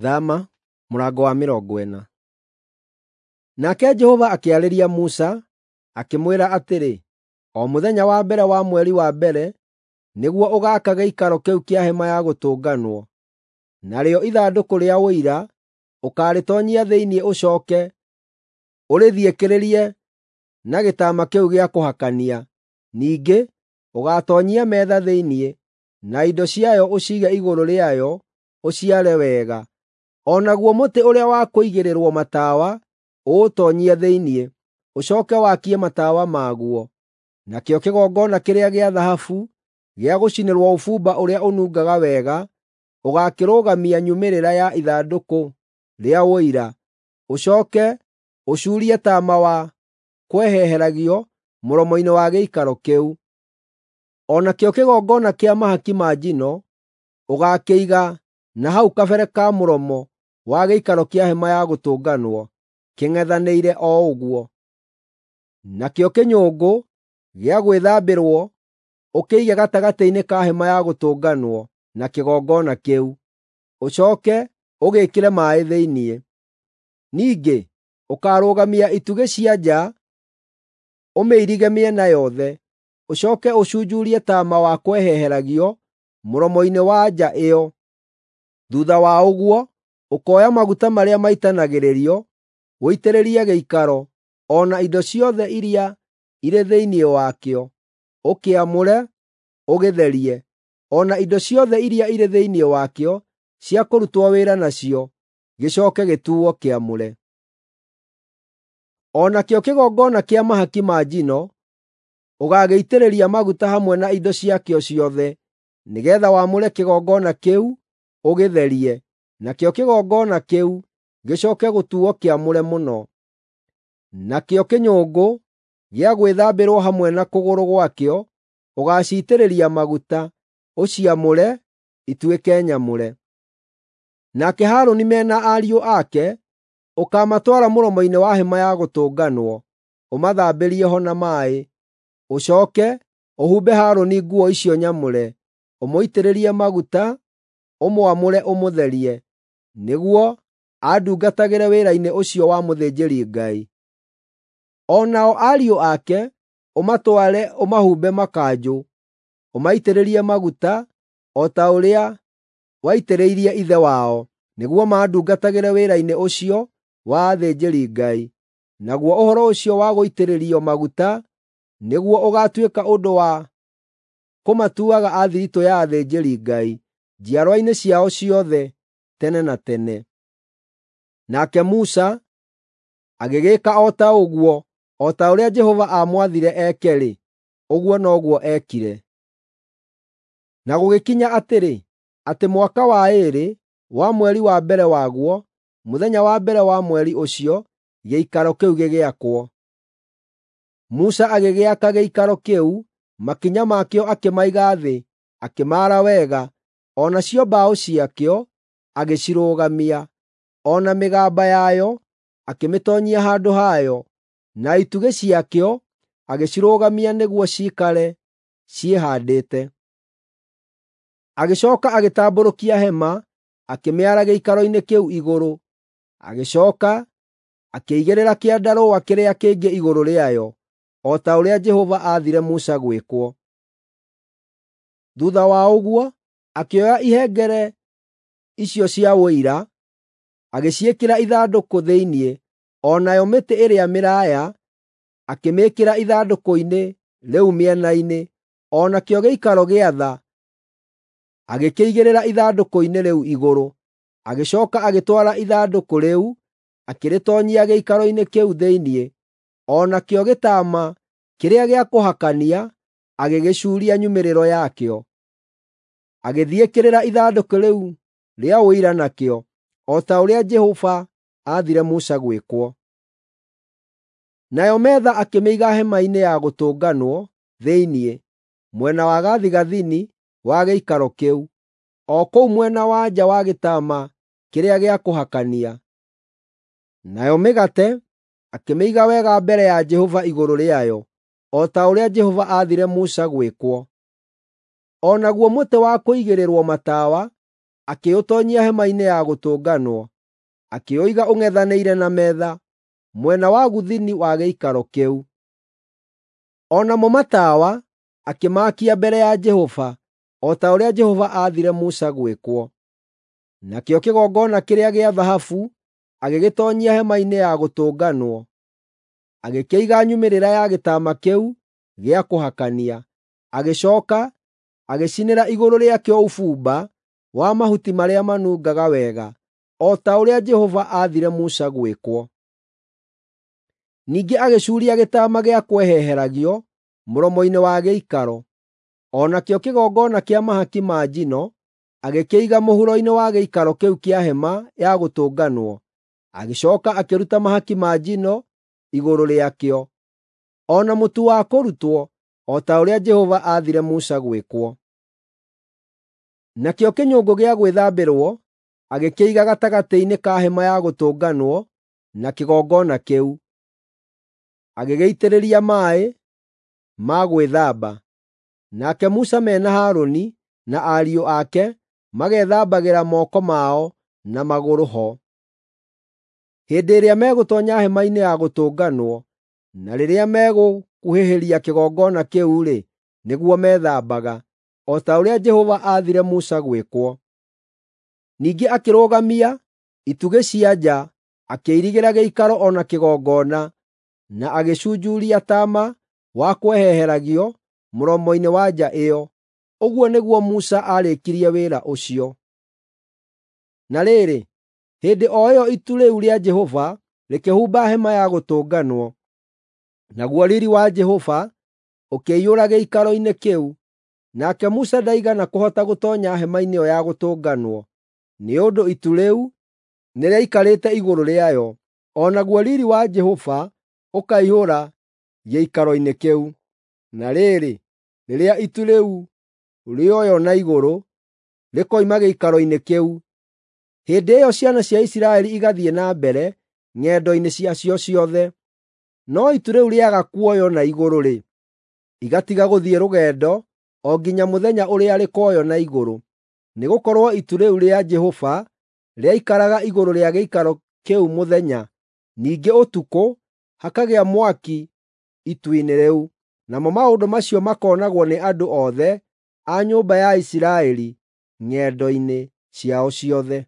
Thama mũrango wa 40. Nake Jehova akĩarĩria Musa, akĩmwĩra atĩrĩ, O mũthenya wa mbere wa mweri wa mbere nĩguo ũgaaka gĩikaro kĩu kĩa Hema-ya-Gũtũnganwo. Narĩo ithandũkũ rĩa Ũira ũkaarĩtoonyia thĩinĩ ũcooke ũrĩthiĩkĩrĩrie na gĩtama kĩu gĩa kũhakania. Ningĩ ũgaatoonyia metha thĩinĩ, na indo ciayo ũciige igũrũ rĩayo ũciare wega. O naguo mũtĩ ũrĩa wa kũigĩrĩrwo matawa ũũtoonyie thĩinĩ, ũcooke wakie matawa maguo. Nakĩo kĩgongona kĩrĩa gĩa thahabu gĩa gũcinĩrwo ũbumba ũrĩa ũnungaga wega ũgaakĩrũgamia nyumĩrĩra ya ithandũkũ rĩa Ũira, ũcooke ũcuurie taama wa kweheheragio mũromo-inĩ wa gĩikaro kĩu. O nakĩo kĩgongona kĩa mahaki ma njino ũgaakĩiga na hau kabere ka mũromo wa gĩikaro kĩa Hema-ya-Gũtũnganwo kĩng'ethanĩire o ũguo. Nakĩo kĩnyũngũ gĩa gwĩthambĩrwo ũkĩige gatagatĩ-inĩ ka Hema-ya-Gũtũnganwo na kĩgongona kĩu, ũcooke ũgĩĩkĩre maaĩ thĩinĩ. Ningĩ ũkaarũgamia itugĩ cia nja ũmĩirige mĩena yothe, ũcooke ũcunjurie taama wa kweheheragio mũromo-inĩ wa nja ĩyo. Thuutha wa ũguo, ũkoya maguta marĩa maitanagĩrĩrio ũitĩrĩrie gĩikaro o na indo ciothe iria irĩ thĩinĩ wakĩo, ũkĩamũre, ũgĩtherie, o na indo ciothe iria irĩ thĩinĩ wakĩo cia kũrutwo wĩra nacio, gĩcooke gĩtuuo kĩamũre. O nakĩo kĩgongona kĩa mahaki ma njino ũgaagĩitĩrĩria maguta hamwe na indo ciakĩo ciothe, nĩgeetha wamũre kĩgongona kĩu ũgĩtherie, nakĩo kĩgongona kĩu gĩcooke gũtuuo kĩamũre mũno. Nakĩo kĩnyũngũ gĩa gwĩthambĩrwo hamwe na kũgũrũ gwakĩo ũgaaciitĩrĩria maguta, ũciamũre ituĩke nyamũre. Nake Harũni me na ariũ ake ũkaamatwara mũromo-inĩ wa Hema-ya-Gũtũnganwo, ũmathambĩrie ho na maaĩ. Ũcooke ũhumbe Harũni nguo icio nyamũre, ũmũitĩrĩrie maguta, ũmwamũre ũmũtherie, nĩguo andungatagĩre wĩra-inĩ ũcio wa mũthĩnjĩri-Ngai. O nao ariũ ake ũmatware ũmahumbe makanjũ, ũmaitĩrĩrie maguta o ta ũrĩa waitĩrĩirie ithe wao, nĩguo mandungatagĩre wĩra-inĩ ũcio wa athĩnjĩri-Ngai. Naguo ũhoro ũcio wa gũitĩrĩrio maguta nĩguo ũgaatuĩka ũndũ wa kũmatuaga a thiritũ ya athĩnjĩri-Ngai njiarwa-inĩ ciao ciothe tene na tene. Nake Musa agĩgĩĩka o ta ũguo, o ta ũrĩa Jehova aamwathire eke-rĩ, ũguo noguo eekire. Na gũgĩkinya atĩrĩ, atĩ mwaka wa ĩĩrĩ wa mweri wa mbere waguo, mũthenya wa mbere wa mweri ũcio, gĩikaro kĩu gĩgĩakwo. Musa agĩgĩaka gĩikaro kĩu, makinya makĩo akĩmaiga thĩ, akĩmaara wega, o nacio mbaũ ciakĩo agĩcirũgamia, o na mĩgamba yayo akĩmĩtoonyia handũ hayo, na itugĩ ciakĩo agĩcirũgamia nĩguo ciikare ciĩhaandĩte. Agĩcooka agĩtambũrũkia hema, akĩmĩara gĩikaro-inĩ kĩu igũrũ, agĩcooka akĩigĩrĩra kĩandarũa kĩrĩa kĩngĩ igũrũ rĩayo, o ta ũrĩa Jehova aathire Musa gwĩkwo. Thuutha wa ũguo, akĩoya ihengere icio cia Ũira, agĩciĩkĩra ithandũkũ thĩinĩ, o nayo mĩtĩ ĩrĩa mĩraaya akĩmĩĩkĩra ithandũkũ-inĩ rĩu mĩena-inĩ, o nakĩo gĩikaro gĩa tha agĩkĩigĩrĩra ithandũkũ-inĩ rĩu igũrũ. Agĩcooka agĩtwara ithandũkũ rĩu, akĩrĩtoonyia gĩikaro-inĩ kĩu thĩinĩ, o nakĩo gĩtama kĩrĩa gĩa kũhakania agĩgĩcuuria nyumĩrĩro yakĩo. Agĩthiĩkĩrĩra ithandũkũ rĩu rĩa Ũira nakĩo, o ta ũrĩa Jehova aathire Musa gwĩkwo. Nayo metha akĩmĩiga Hema-inĩ-ya-Gũtũnganwo thĩinĩ, mwena wa gathigathini wa gĩikaro kĩu, o kũu mwena wa nja wa gĩtama kĩrĩa gĩa kũhakania. Nayo mĩgate akĩmĩiga wega mbere ya Jehova igũrũ rĩayo, o ta ũrĩa Jehova aathire Musa gwĩkwo. O naguo mũtĩ wa kũigĩrĩrwo matawa akĩũtoonyia Hema-inĩ-ya-Gũtũnganwo, akĩũiga ũng'ethanĩire na metha, mwena wa gũthini wa gĩikaro kĩu. O namo matawa akĩmaakia mbere ya Jehova, o ta ũrĩa Jehova aathire Musa gwĩkwo. Nakĩo kĩgongona kĩrĩa gĩa thahabu agĩgĩtoonyia Hema-inĩ-ya-Gũtũnganwo, agĩkĩiga nyumĩrĩra ya gĩtama kĩu gĩa kũhakania. Agĩcooka agĩcinĩra igũrũ rĩakĩo ũbumba wa mahuti marĩa manungaga wega, o ta ũrĩa Jehova aathire Musa gwĩkwo. Ningĩ agĩcuuria gĩtama gĩa kweheheragio mũromo-inĩ wa gĩikaro. O nakĩo kĩgongona kĩa mahaki ma njino agĩkĩiga mũhuro-inĩ wa gĩikaro kĩu kĩa Hema-ya-Gũtũnganwo, agĩcooka akĩruta mahaki ma njino igũrũ rĩakĩo, o na mũtu wa kũrutwo, o ta ũrĩa Jehova aathire Musa gwĩkwo. Nakĩo kĩnyũngũ gĩa gwĩthambĩrwo agĩkĩiga gatagatĩ-inĩ ka Hema-ya-Gũtũnganwo na kĩgongona kĩu, agĩgĩitĩrĩria maaĩ ma gwĩthamba. Nake Musa me na Harũni na ariũ ake magethambagĩra moko mao na magũrũ ho. Hĩndĩ ĩrĩa megũtoonya Hema-inĩ-ya-Gũtũnganwo, na rĩrĩa megũkuhĩhĩria kĩgongona kĩu-rĩ, nĩguo methambaga, o ta ũrĩa Jehova aathire Musa gwĩkwo. Ningĩ akĩrũgamia itugĩ cia nja, akĩirigĩra gĩikaro o na kĩgongona, na agĩcunjuria taama wa kweheheragio mũromo-inĩ wa nja ĩyo. Ũguo nĩguo Musa aarĩkirie wĩra ũcio. Na rĩrĩ, hĩndĩ o ĩyo itu rĩu rĩa Jehova rĩkĩhumba Hema-ya-Gũtũnganwo, naguo riiri wa Jehova ũkĩiyũra gĩikaro-inĩ kĩu. Nake Musa ndaigana kũhota gũtoonya hema-inĩ ĩyo ya Gũtũnganwo, nĩ ũndũ itu rĩu nĩrĩaikarĩte igũrũ rĩayo, o naguo riiri wa Jehova ũkaiyũra gĩikaro-inĩ kĩu. Na rĩrĩ, rĩrĩa itu rĩu rĩoywo na igũrũ rĩkoima gĩikaro-inĩ kĩu, hĩndĩ ĩyo ciana cia Isiraeli igathiĩ na mbere ng'endo-inĩ ciacio ciothe. No itu rĩu rĩaga kuoywo na igũrũ-rĩ, igatiga gũthiĩ rũgendo o nginya mũthenya ũrĩa rĩkoywo na igũrũ, nĩgũkorwo itu rĩu rĩa Jehova rĩaikaraga igũrũ rĩa gĩikaro kĩu mũthenya, ningĩ ũtukũ hakagĩa mwaki itu-inĩ rĩu. Namo maũndũ macio makoonagwo nĩ andũ othe a nyũmba ya Isiraeli ng'endo-inĩ ciao ciothe.